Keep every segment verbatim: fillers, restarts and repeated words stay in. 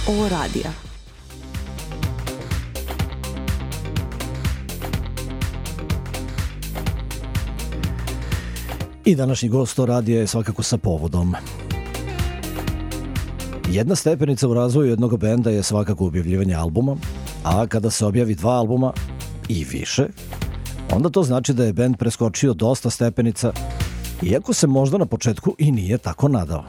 O radija. I današnji gost O radija je svakako sa povodom. Jedna stepenica u razvoju jednog benda je svakako objavljivanje albuma, a kada se objavi dva albuma i više, onda to znači da je bend preskočio dosta stepenica, iako se možda na početku i nije tako nadao.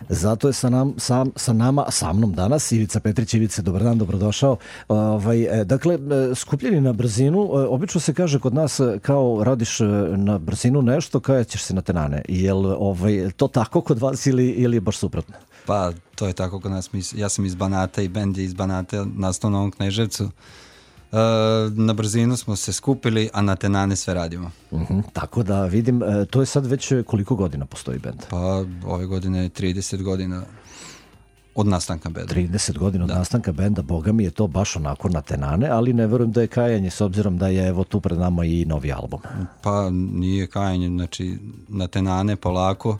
Zato je sa, nam, sa, sa nama, sa mnom danas Ivica Petrić. Ivice, dobar dan, dobrodošao. Ovaj, dakle, skupljeni na brzinu, obično se kaže kod nas kao radiš na brzinu nešto, kao ćeš se na tenane. Jel ovaj, to tako kod vas ili, ili je baš suprotno? Pa, to je tako kod nas. Ja sam iz Banata i bend je iz Banata, nastao na Novom Kneževcu. Uh, na brzinu smo se skupili, a na tenane sve radimo. Uh-huh, tako da vidim, to je sad već koliko godina postoji bend? Pa ove godine je trideset godina od nastanka benda. trideset godina od da. nastanka benda, boga mi je to baš onako na tenane, ali ne verujem da je kajanje s obzirom da je evo tu pred nama i novi album. Pa nije kajanje, znači na tenane polako.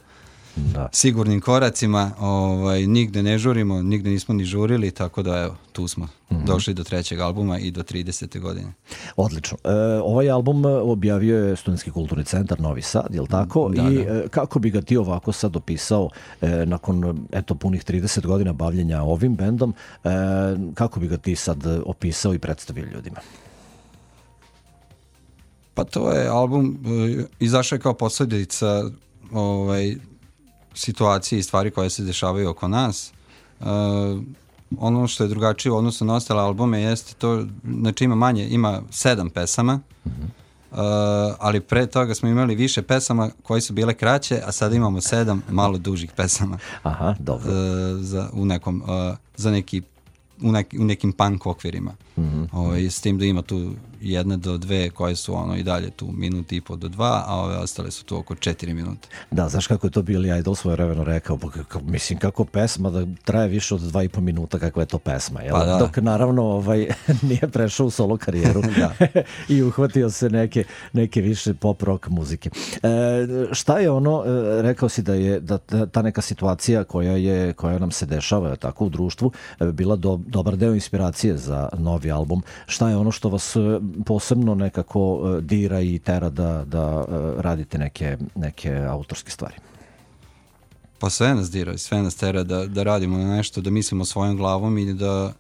Da. Sigurnim koracima, ovaj, nigde ne žurimo, nigde nismo ni žurili, tako da evo, tu smo mm-hmm. došli do trećeg albuma i do tridesete godine. Odlično. E, ovaj album objavio je Studentski kulturni centar Novi Sad, je li tako? Da, I da. E, kako bi ga ti ovako sad opisao e, nakon eto punih trideset godina bavljenja ovim bendom, e, kako bi ga ti sad opisao i predstavio ljudima? Pa to je album, e, izašao je kao posljedica ovaj, situacije i stvari koje se dešavaju oko nas. Uh, ono što je drugačije u odnosu na ostale albume jeste to, znači ima manje, ima sedam pesama, mm-hmm. uh, ali pre toga smo imali više pesama koje su bile kraće, a sada imamo sedam malo dužih pesama. Aha, dobro. Uh, za, u nekom, uh, za neki U, neki, u nekim punk okvirima. Mm-hmm. O, s tim da ima tu jedne do dve koje su ono i dalje tu minuti i po do dva, a ove ostale su tu oko četiri minute. Da, znaš kako je to Billy Idol svojevremeno rekao, kako, mislim kako pesma da traje više od dva i po minuta, kakva je to pesma, jel? Pa da. Dok naravno ovaj, nije prešao u solo karijeru i uhvatio se neke, neke više pop rock muzike. E, šta je ono, rekao si da je da ta neka situacija koja je koja nam se dešava tako u društvu bila do, dobar deo inspiracije za novi album. Šta je ono što vas posebno nekako dira i tera da, da radite neke, neke autorske stvari? Pa sve nas dira, sve nas tera da, da radimo na nešto, da mislimo svojom glavom i da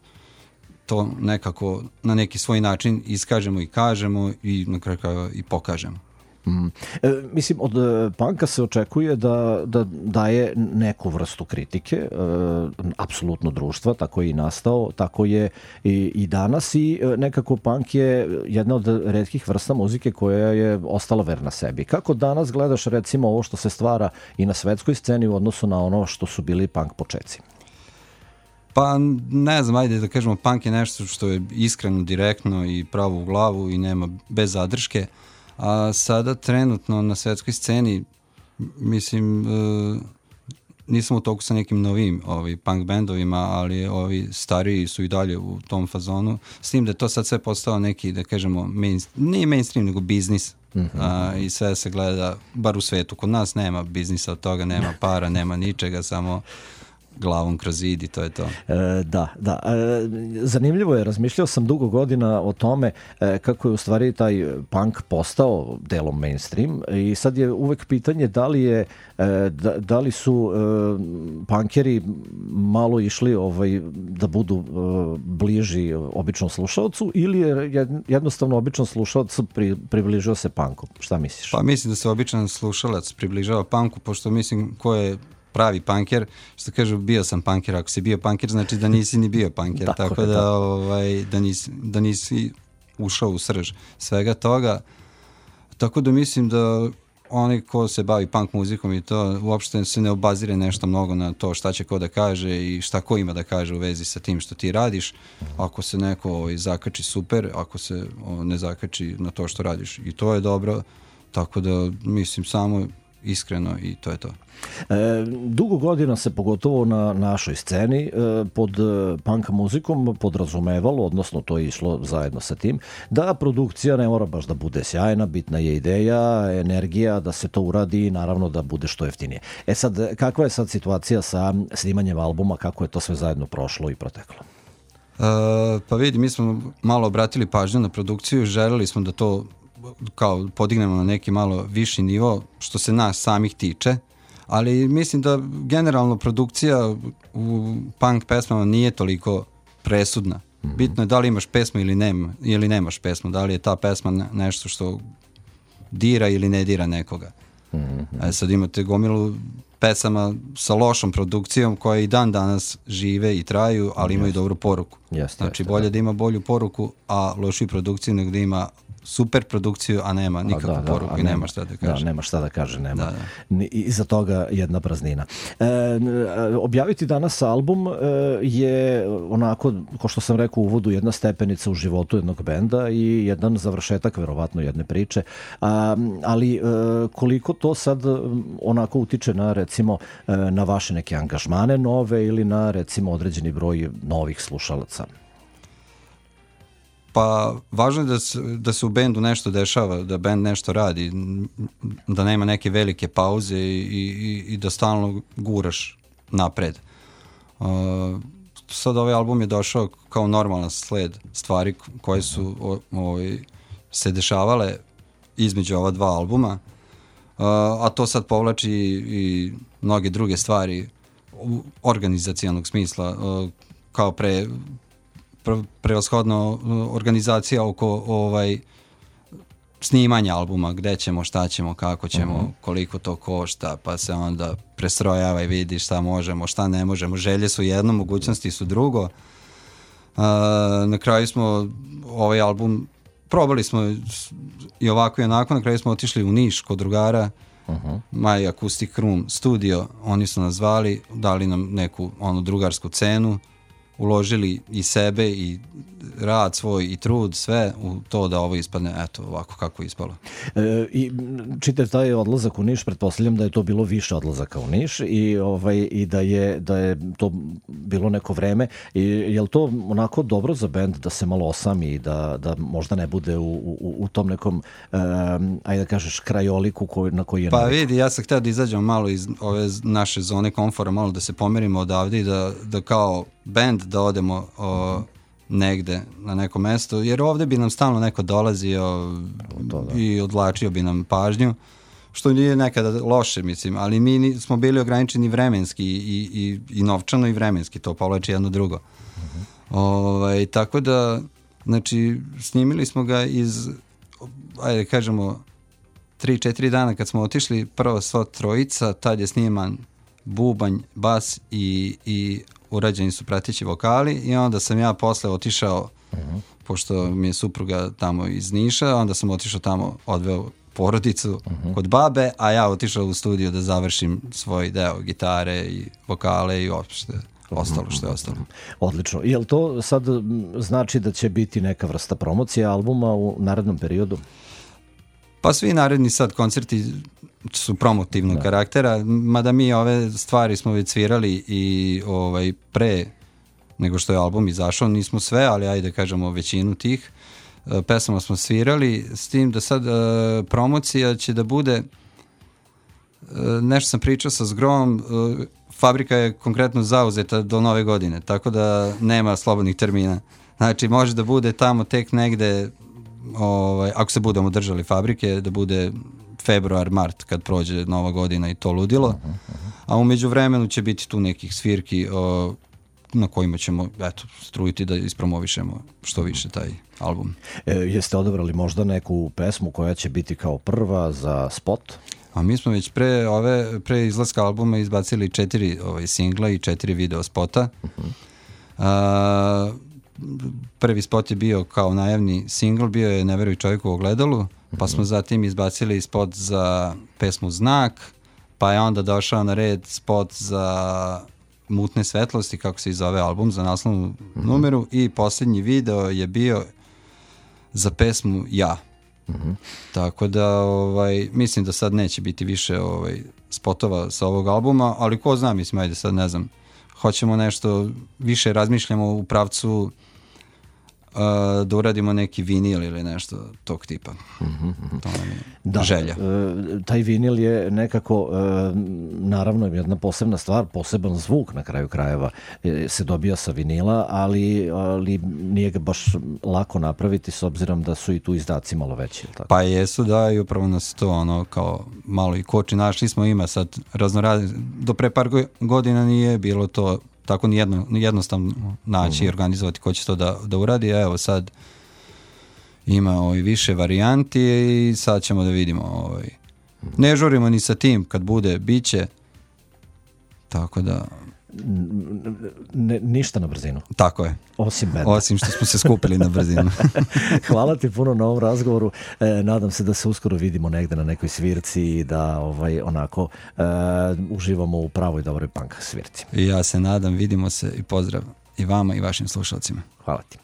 to nekako na neki svoj način iskažemo i kažemo i na kraju i pokažemo. Mm. E, mislim, od e, punka se očekuje da, da daje neku vrstu kritike, e, apsolutno društva, tako je i nastao, tako je i, i danas i e, nekako punk je jedna od retkih vrsta muzike koja je ostala verna sebi. Kako danas gledaš recimo ovo što se stvara i na svetskoj sceni u odnosu na ono što su bili punk počeci? Pa ne znam, ajde da kažemo, punk je nešto što je iskreno, direktno i pravo u glavu i nema bez zadrške. A sada trenutno na svetskoj sceni, mislim, e, nisam u toku sa nekim novim ovi, punk bendovima, ali ovi stariji su i dalje u tom fazonu, s tim da je to sad sve postao neki, da kažemo, main, nije mainstream, nego biznis. Mm-hmm. A, i sve se gleda, bar u svetu. Kod nas nema biznisa od toga, nema para, nema ničega, samo glavom kroz zid i to je to. E, da, da. E, zanimljivo je, razmišljao sam dugo godina o tome e, kako je u stvari taj punk postao delom mainstream i sad je uvek pitanje da li je e, da, da li su e, punkeri malo išli ovaj, da budu e, bliži običnom slušalcu ili je jednostavno običan slušalac pri, približio se punku. Šta misliš? Pa mislim da se običan slušalac približava punku, pošto mislim ko je pravi punker, što kažu bio sam punker, ako si bio punker znači da nisi ni bio punker, tako, tako da, ovaj, da, nisi, da nisi ušao u srž svega toga, tako da mislim da onaj ko se bavi punk muzikom i to uopšte se ne obazire nešto mnogo na to šta će ko da kaže i šta ko ima da kaže u vezi sa tim što ti radiš. Ako se neko ovaj, zakači super, ako se o, ne zakači na to što radiš i to je dobro, tako da mislim samo iskreno i to je to. E, dugo godina se pogotovo na našoj sceni e, pod punk muzikom podrazumevalo, odnosno to je išlo zajedno sa tim, da produkcija ne mora baš da bude sjajna, bitna je ideja, energija, da se to uradi i naravno da bude što jeftinije. E sad, kakva je sad situacija sa snimanjem albuma, kako je to sve zajedno prošlo i proteklo? E, pa vidi, mi smo malo obratili pažnju na produkciju, želeli smo da to kao podignemo na neki malo viši nivo što se nas samih tiče, ali mislim da generalno produkcija u punk pesmama nije toliko presudna. Bitno je da li imaš pesmu ili, nema, ili nemaš pesmu, da li je ta pesma nešto što dira ili ne dira nekoga. A sad imate gomilu pesama sa lošom produkcijom koje i dan danas žive i traju, ali imaju dobru poruku. Jeste, znači jeste, bolje da. da ima bolju poruku, a lošiju produkciju nego da ima super produkciju, a nema nikakvu da, da, poruku i nema, nema šta da kaže. Da, nema šta da kaže, nema. Da, da. Iza toga jedna praznina. E, objaviti danas album e, je onako, ko što sam rekao u uvodu, jedna stepenica u životu jednog benda i jedan završetak, verovatno, jedne priče. A, ali e, koliko to sad onako utiče na, recimo, e, na vaše neke angažmane nove ili na, recimo, određeni broj novih slušalaca? Pa važno je da se, da se u bendu nešto dešava, da bend nešto radi, da nema neke velike pauze i, i, i da stalno guraš napred. Uh, sad ovaj album je došao kao normalan sled stvari koje su o, o, se dešavale između ova dva albuma, uh, a to sad povlači i mnoge druge stvari u organizacijalnog smisla, uh, kao pre prevashodno organizacija oko ovaj snimanja albuma, gde ćemo, šta ćemo, kako ćemo, uh-huh. koliko to košta, pa se onda prestrojava i vidi šta možemo, šta ne možemo. Želje su jedno, mogućnosti su drugo. Uh, na kraju smo ovaj album probali smo i ovako i onako, na kraju smo otišli u Niš kod drugara, uh-huh. My Acoustic Room Studio, oni su nas zvali, dali nam neku onu drugarsku cenu, uložili i sebe i rad svoj i trud, sve u to da ovo ispadne, eto, ovako kako je ispalo. E, I čitav taj odlazak u Niš, pretpostavljam da je to bilo više odlazaka u Niš i, ovaj, i da, je, da je to bilo neko vreme. I je li to onako dobro za bend da se malo osami i da, da možda ne bude u, u, u tom nekom, um, ajde da kažeš, krajoliku koji, na koji je Pa navikao? vidi, ja sam htio da izađemo malo iz ove naše zone komfora, malo da se pomerimo odavde i da, da kao bend da odemo o, negde na neko mesto, jer ovde bi nam stalno neko dolazio to, da. i odvlačio bi nam pažnju, što nije nekada loše, mislim, ali mi smo bili ograničeni vremenski i, i, i novčano i vremenski, to povlači jedno drugo. Uh-huh. Ovaj, tako da, znači, snimili smo ga iz, ajde kažemo, tri, četiri dana kad smo otišli, prvo sva trojica, tad je sniman bubanj, bas i, i urađeni su prateći vokali i onda sam ja posle otišao, uh-huh. pošto mi je supruga tamo iz Niša, onda sam otišao tamo, odveo porodicu uh-huh. kod babe, a ja otišao u studio da završim svoj deo gitare i vokale i uopšte ostalo što je ostalo. Odlično. Je li to sad znači da će biti neka vrsta promocije albuma u narednom periodu? Pa svi naredni sad koncerti su promotivnog da. karaktera, mada mi ove stvari smo već svirali i ovaj, pre nego što je album izašao, nismo sve, ali ajde kažemo većinu tih uh, pesama smo svirali, s tim da sad uh, promocija će da bude, uh, nešto sam pričao sa Zgrom, uh, fabrika je konkretno zauzeta do nove godine, tako da nema slobodnih termina. Znači može da bude tamo tek negde, ovaj, ako se budemo držali fabrike, da bude februar, mart kad prođe nova godina i to ludilo. Uh-huh, uh-huh. A umeđu vremenu će biti tu nekih svirki o, na kojima ćemo eto, strujiti da ispromovišemo što više taj album. E, jeste odabrali možda neku pesmu koja će biti kao prva za spot? A mi smo već pre, ove, pre izlaska albuma izbacili četiri ovaj, singla i četiri video spota. Uh-huh. A, prvi spot je bio kao najavni singl, bio je Ne veruj čovjeku u ogledalu, pa smo zatim izbacili spot za pesmu Znak, pa je onda došao na red spot za Mutne svetlosti, kako se i zove album, za naslovnu numeru, i posljednji video je bio za pesmu Ja. Mm-hmm. Tako da ovaj, mislim da sad neće biti više ovaj, spotova sa ovog albuma, ali ko zna, mislim, ajde sad ne znam, hoćemo nešto, više razmišljamo u pravcu uh, da uradimo neki vinil ili nešto tog tipa. Mm-hmm. To nam je da, želja. E, taj vinil je nekako, e, naravno, jedna posebna stvar, poseban zvuk na kraju krajeva e, se dobija sa vinila, ali, ali nije ga baš lako napraviti s obzirom da su i tu izdaci malo veći. Tako? Pa jesu, da, i upravo nas to ono kao malo i koči. Našli smo ima sad raznoradne, do pre par godina nije bilo to tako nijedno, jednostavno naći mm-hmm. i organizovati ko će to da, da uradi, a evo sad ima ovaj, više varijanti i sad ćemo da vidimo. Ovaj. Ne žurimo ni sa tim, kad bude, bit će. Tako da... Ne, ništa na brzinu. Tako je. Osim benda. Osim što smo se skupili na brzinu. Hvala ti puno na ovom razgovoru. E, nadam se da se uskoro vidimo negde na nekoj svirci i da ovaj, onako e, uživamo u pravoj dobroj punk svirci. I ja se nadam, vidimo se i pozdrav i vama i vašim slušalcima. Hvala ti.